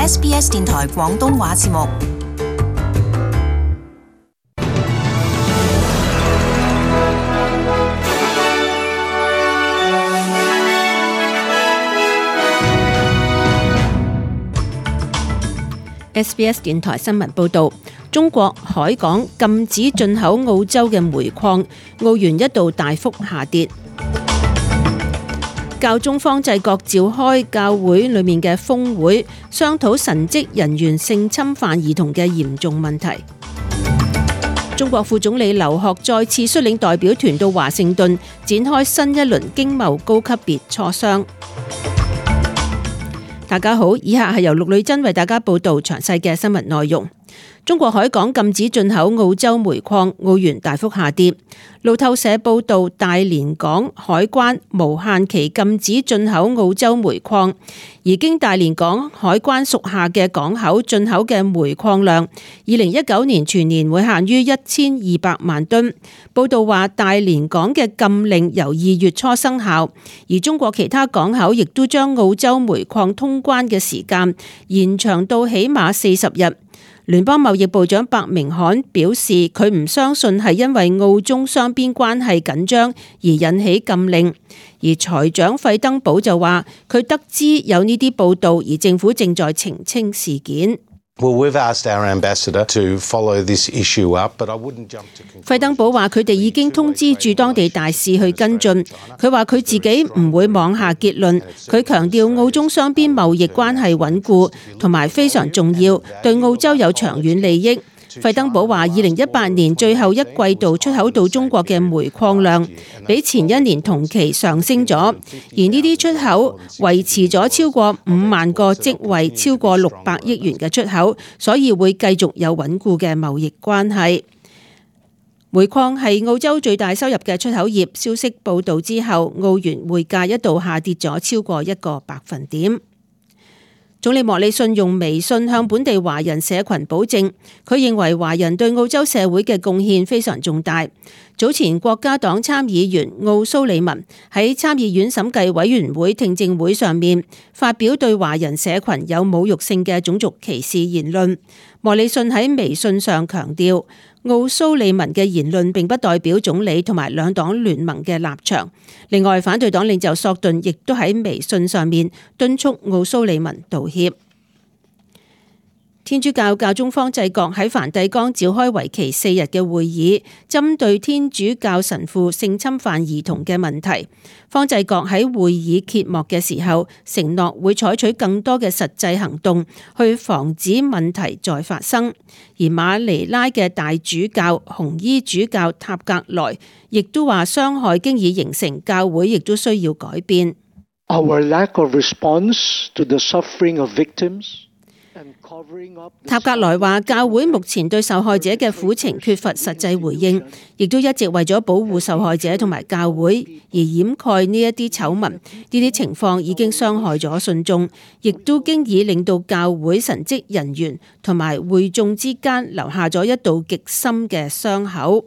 SBS 電台廣東話節目。SBS 電台新聞報導，中國海港禁止進口澳洲嘅煤礦，澳元一度大幅下跌。教宗方濟各召開教會裏面嘅峰會，商討神職人員性侵犯兒童嘅嚴重問題。中國副總理劉鶴再次率領代表團到華盛頓，展開新一輪經貿高級別磋商。大家好，以下係由陸女真為大家報道詳細嘅新聞內容。中國海港禁止進口澳洲煤礦，澳元大幅下跌。路透社報道，大連港海關無限期禁止進口澳洲煤礦，而經大連港海關屬下嘅港口進口嘅煤礦量，2019年全年會限於1200萬噸。報道話，大連港嘅禁令由2月初生效，而中國其他港口亦都將澳洲煤礦通關嘅時間延長到起碼40日。聯邦貿易部長白明罕表示，佢唔相信係因為澳中雙邊關係緊張而引起禁令，而財長費登堡就話，佢得知有呢啲報道，而政府正在澄清事件。費登堡話，佢哋已經通知駐當地大使去跟進。佢話佢自己唔會妄下結論。佢強調澳中雙邊貿易關係穩固同埋非常重要，對澳洲有長遠利益。費登堡話，2018年最後一季度出口到中國嘅煤礦量比前一年同期上升咗，而呢啲出口維持咗超過5萬個職位，超過600億元嘅出口，所以會繼續有穩固嘅貿易關係。煤礦係澳洲最大收入嘅出口業，消息報道之後，澳元匯價一度下跌咗超過1個百分點。總理莫里遜用微信向本地華人社群保證，佢認為華人對澳洲社會嘅貢獻非常重大。早前國家黨參議員奧蘇利文喺參議院審計委員會聽證會上面發表對華人社群有侮辱性嘅種族歧視言論。莫里遜喺微信上強調，奧蘇利文嘅言論並不代表總理同埋兩黨聯盟嘅立場。另外，反對黨領袖索頓亦都喺微信上面敦促奧蘇利文道歉。天主教教宗方濟各喺梵蒂岡召開為期4日嘅會議，針對天主教神父性侵犯兒童嘅問題。方濟各喺會議揭幕嘅時候，承諾會採取更多嘅實際行動去防止問題再發生。而馬尼拉嘅大主教紅衣主教塔格萊亦都話，傷害經已形成，教會亦都需要改變。Our lack of response to the suffering of victims。塔格萊話，教會目前對受害者嘅苦情缺乏實際回應，亦都一直為咗保護受害者同埋教會而掩蓋呢一啲醜聞。呢啲情況已經傷害咗信眾，亦都經已令到教會神職人員同埋會眾之間留下咗一道極深嘅傷口。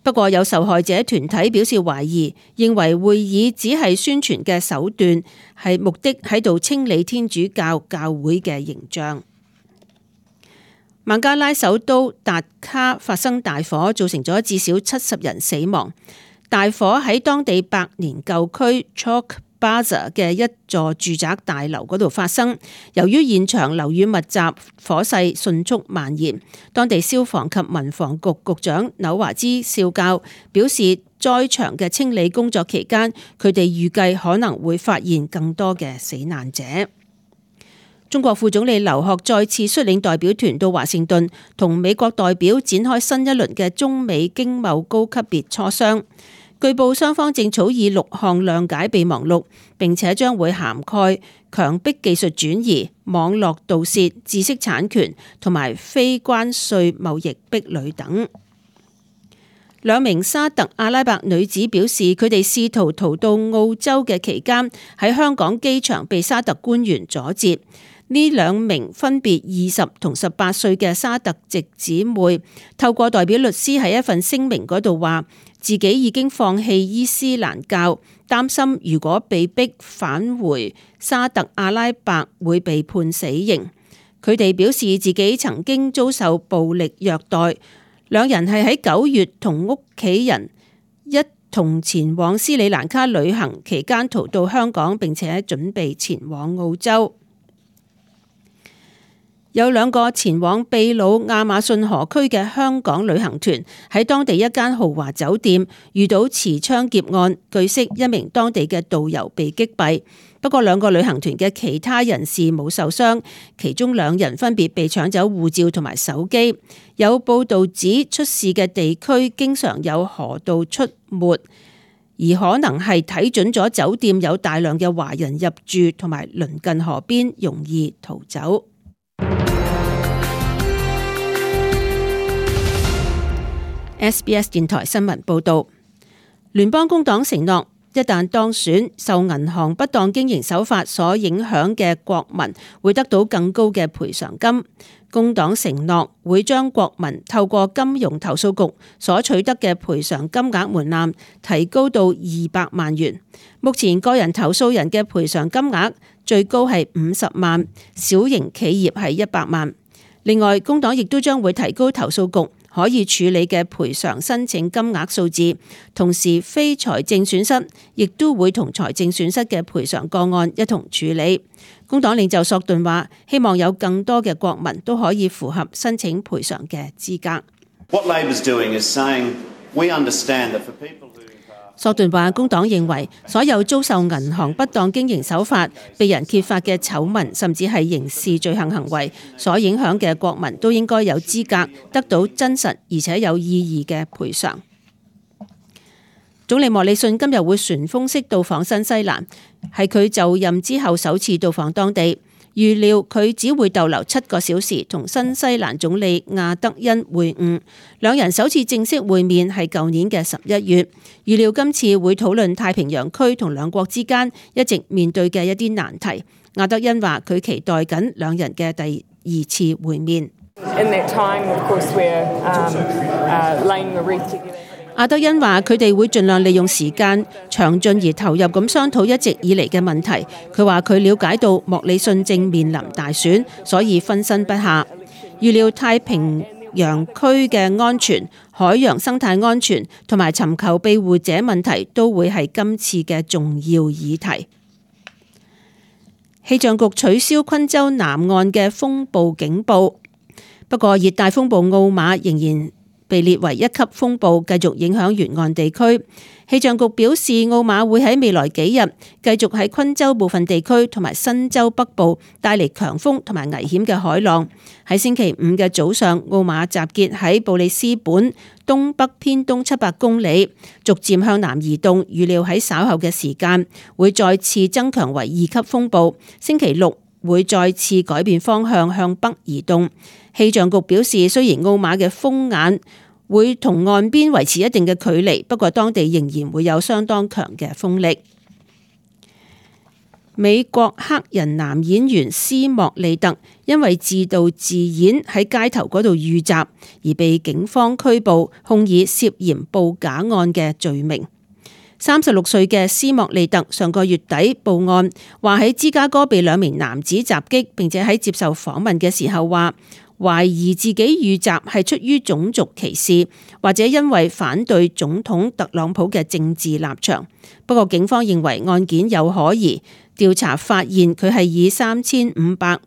不過有受害者團體表示懷疑，認為會議只係宣傳嘅手段，係目的喺度清理天主教教會嘅形象。孟加拉首都達卡發生大火，造成咗至少70人死亡。大火喺當地百年舊區 Chok Baza 嘅一座住宅大樓嗰度發生，由於現場樓宇密集，火勢迅速蔓延。當地消防及民防局局長紐華茲少校表示，災場嘅清理工作期間，佢哋預計可能會發現更多嘅死難者。中國副總理劉鶴再次率領代表團到華盛頓，同美國代表展開新一輪嘅中美經貿高級別磋商。據報雙方正草擬6項諒解備忘錄，並且將會涵蓋強迫技術轉移、網絡盜竊、知識產權同埋非關稅貿易壁壘等。2名沙特阿拉伯女子表示，佢哋試圖逃到澳洲嘅期間，喺香港機場被沙特官員阻截。呢2名分別20同18歲嘅沙特籍姊妹，透過代表律師喺一份聲明嗰度話，自己已經放棄伊斯蘭教，擔心如果被逼返回沙特阿拉伯會被判死刑。佢哋表示自己曾經遭受暴力虐待。兩人係喺9月同屋企人一同前往斯里蘭卡旅行期間逃到香港，並且準備前往澳洲。有2個前往秘魯亞馬遜河區嘅香港旅行團喺當地一間豪華酒店遇到持槍劫案，據悉一名當地嘅導遊被擊斃。不過2個旅行團嘅其他人士冇受傷，其中2人分別被搶走護照同埋手機。有報道指出事嘅地區經常有河道出沒，而可能係睇準咗酒店有大量嘅華人入住同埋鄰近河邊，容易逃走。SBS 電台新聞報導，聯邦工黨承諾，一旦當選，受銀行不當經營手法所影響嘅國民會得到更高嘅賠償金。工黨承諾會將國民透過金融投訴局所取得嘅賠償金額門檻提高到200萬元。目前個人投訴人嘅賠償金額最高係50萬，小型企業係100萬。另外，工黨亦都將會提高投訴局可以處理嘅賠償申請金額數字，同時非財政損失亦都會同財政損失嘅賠償個案一同處理。工黨領袖索頓話，希望有更多嘅國民都可以符合申請賠償嘅資格。索頓話，工黨認為所有遭受銀行不當經營手法被人揭發嘅醜聞，甚至係刑事罪行行為所影響嘅國民都應該有資格得到真實而且有意義嘅賠償。總理莫里遜今日會旋風式到訪新西蘭，係佢就任之後首次到訪當地。預料佢只會逗留7個小時，同新西蘭總理亞德恩會晤。兩人首次正式會面係舊年嘅11月。預料今次會討論太平洋區同兩國之間一直面對嘅一啲難題。亞德恩話佢期待緊兩人嘅第2次會面。亞德恩話佢哋會盡量利用時間詳盡而投入咁商討一直以嚟嘅問題。佢話佢了解到莫里遜正面臨大選，所以分身不下。預料太平洋區嘅安全、海洋生態安全同埋尋求庇護者問題都會係今次嘅重要議題。氣象局取消昆州南岸嘅風暴警報，不過熱帶風暴奧馬仍然被列為1級風暴，繼續影響沿岸地區。氣象局表示，奧馬會喺未來幾日繼續喺昆州部分地區同埋新州北部帶嚟強風同埋危險嘅海浪。喺星期5嘅早上，奧馬集結喺布里斯本東北偏東700公里，逐漸向南移動，預料喺稍後嘅時間會再次增強為2級風暴。星期6會再次改變方向向北移動。氣象局表示，雖然奧馬嘅風眼會同岸邊維持一定嘅距離，不過當地仍然會有相當強嘅風力。美國黑人男演員斯莫利特因為自導自演喺街頭嗰度遇襲而被警方拘捕，控以涉嫌報假案嘅罪名。36歲嘅斯莫利特上個月底報案，話喺芝加哥被2名男子襲擊，並且喺接受訪問嘅時候話，懷疑自己遇襲係出於種族歧視，或者因為反對總統特朗普嘅政治立場。不過警方認為案件有可疑，調查發現佢係以$3500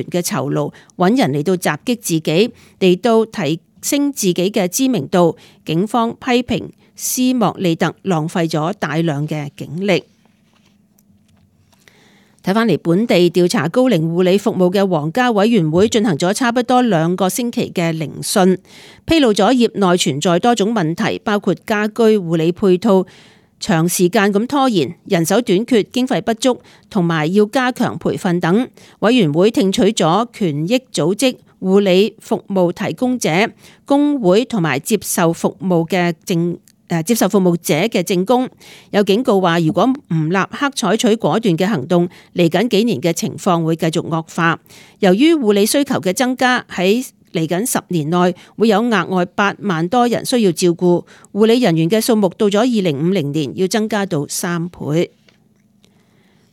嘅酬勞揾人嚟到襲擊自己，嚟到提升自己嘅知名度。警方批評斯莫利特浪費咗大量嘅警力。睇返嚟本地調查高齡護理服務嘅皇家委員會進行咗差不多2個星期嘅聆訊，披露咗業內存在多種問題，包括家居護理配套長時間咁拖延、人手短缺、經費不足，同埋要加強培訓等。委員會聽取咗權益組織、護理服務提供者、工會同埋接受服務者嘅證供，有警告話，如果唔立刻採取果斷嘅行動，嚟緊幾年嘅情況會繼續惡化。由於護理需求嘅增加，喺嚟緊10年內會有額外8萬多人需要照顧，護理人員嘅數目到咗2050年要增加到3倍。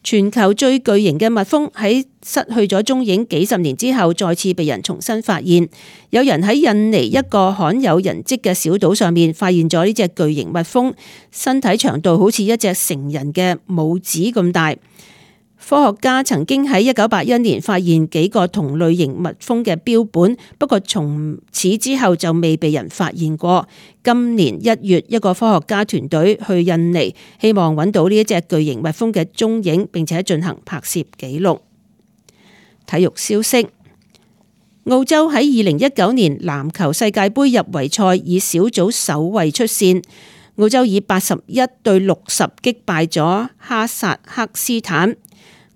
全球最巨型嘅蜜蜂喺失去咗蹤影幾十年之後，再次被人重新發現。有人喺印尼一個罕有人跡嘅小島上面發現咗呢隻巨型蜜蜂，身體長度好似一隻成人嘅拇指咁大。科學家曾經喺1981年發現幾個同類型蜜蜂嘅標本，不過從此之後就未被人發現過。今年1月，一個科學家團隊去印尼，希望揾到呢一隻巨型蜜蜂嘅蹤影，並且進行拍攝記錄。體育消息：澳洲喺2019年籃球世界盃入圍賽以小組首位出線，澳洲以81-60擊敗咗哈薩克斯坦。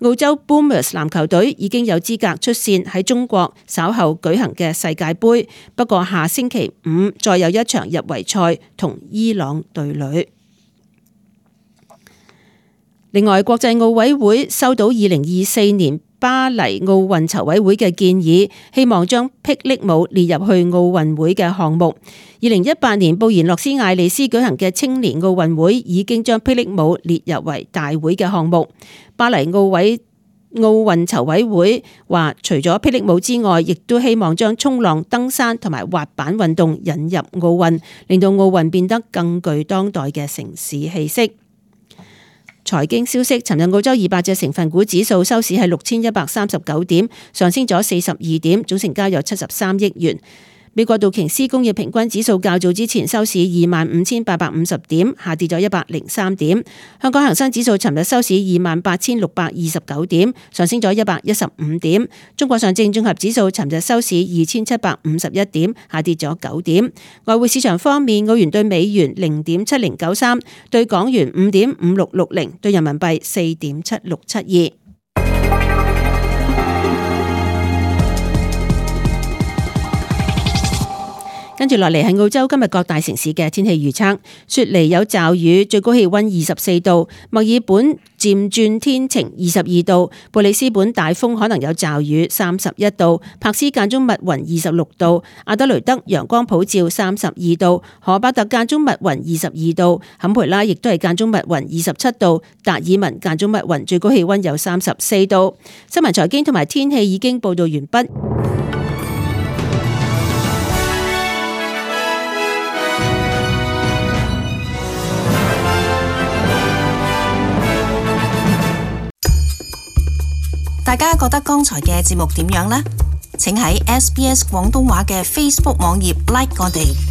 澳洲 Boomers 籃球隊已經有資格出線喺中國稍後舉行嘅世界盃，不過下星期5再有一場入圍賽同伊朗對壘。另外，國際奧委會收到2024年巴黎奧運籌委會嘅建議，希望將霹靂舞列入去奧運會嘅項目。2018年布宜諾斯艾利斯舉行嘅青年奧運會已經將霹靂舞列入為大會嘅項目。巴黎奧運籌委會話，除咗霹靂舞之外，亦都希望將衝浪、登山同埋滑板運動引入奧運，令到奧運變得更具當代嘅城市氣息。財經消息：尋日澳洲200隻成分股指數收市係6139點，上升咗42點，總成交有73億元。美國道瓊斯工業平均指數較早之前收市25,850點，下跌咗103點。香港恒生指數尋日收市28,629點，上升咗115點。中國上證綜合指數尋日收市2,751點，下跌咗9點。外匯市場方面，澳元對美元0.7093，對港元5.5660，對人民幣4.7672。跟住落嚟係澳洲今日各大城市嘅天氣預測：雪梨有驟雨，最高氣溫24度；墨爾本漸轉天晴22度；布里斯本大風可能有驟雨31度；柏斯間中密雲26度；阿德雷德陽光普照32度；荷伯特間中密雲22度；坎培拉亦都係間中密雲27度；達爾文間中密雲，最高氣溫有34度。新聞財經同埋天氣已經報道完畢。大家覺得剛才嘅節目點樣呢？請喺SBS 廣東話嘅 Facebook 網頁 like 我哋。